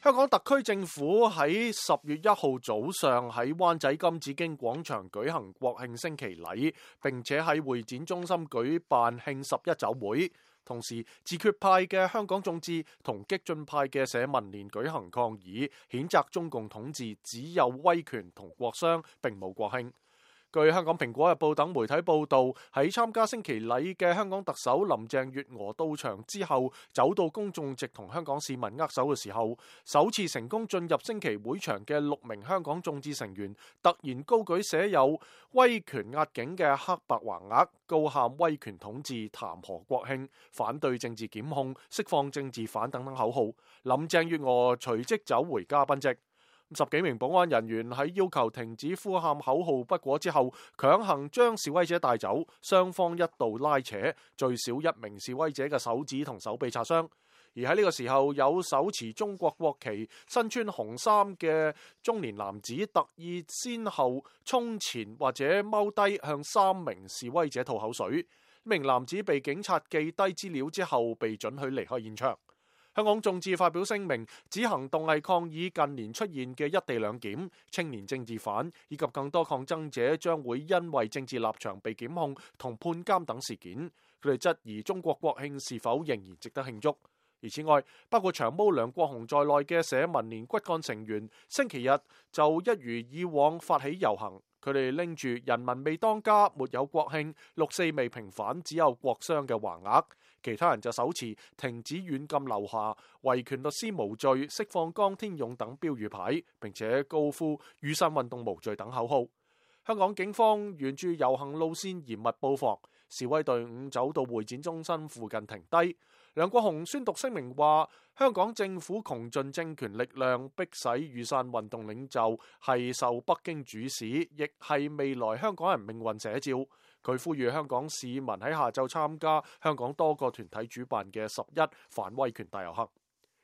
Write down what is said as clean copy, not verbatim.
香港特區政府喺10月1號早上喺灣仔金紫荊廣場舉行國慶升旗禮，並且喺會展中心舉辦慶11酒會。同時，自決派嘅香港眾志同激進派嘅社民連舉行抗議，譴責中共統治只有威權同國殤，並冇國慶。據香港蘋果日報等媒體報道，喺參加升旗禮嘅香港特首林鄭月娥到場之後，走到公眾席同香港市民握手嘅時候，首次成功進入升旗會場嘅6名香港眾志成員突然高舉寫有威權壓境嘅黑白橫額，高喊威權統治談何國慶，反對政治檢控，釋放政治犯等等口號。林鄭月娥隨即走回嘉賓席。10幾名保安人員喺要求停止呼喊口號不果之後，強行將示威者帶走，雙方一度拉扯，最少1名示威者嘅手指同手臂擦傷。而喺呢個時候，有手持中國國旗、身穿紅衫嘅中年男子特意先後衝前或者踎低向3名示威者吐口水。呢名男子被警察記低資料之後，被准許離開現場。香港眾志發表聲明，指行動係抗議近年出現嘅一地兩檢、青年政治犯以及更多抗爭者將會因為政治立場被檢控同判監等事件。佢哋質疑中國國慶是否仍然值得慶祝。而此外，包括長毛梁國雄在內嘅社民連骨幹成員，星期日就一如以往發起遊行。佢哋拎住人民未當家，沒有國慶，6·4未平反，只有國殤嘅橫額。其他人就手持停止軟禁劉霞、維權律師無罪、釋放江天勇等標語牌，並且高呼雨傘運動無罪等口號。香港警方沿住遊行路線嚴密布防，示威隊伍走到會展中心附近停低。梁國雄宣讀聲明話，香港政府窮盡政權力量，迫使雨傘運動領袖係受北京主使，亦係未來香港人命運寫照。佢呼籲香港市民喺下晝參加香港多個團體主辦嘅11反威權大遊行。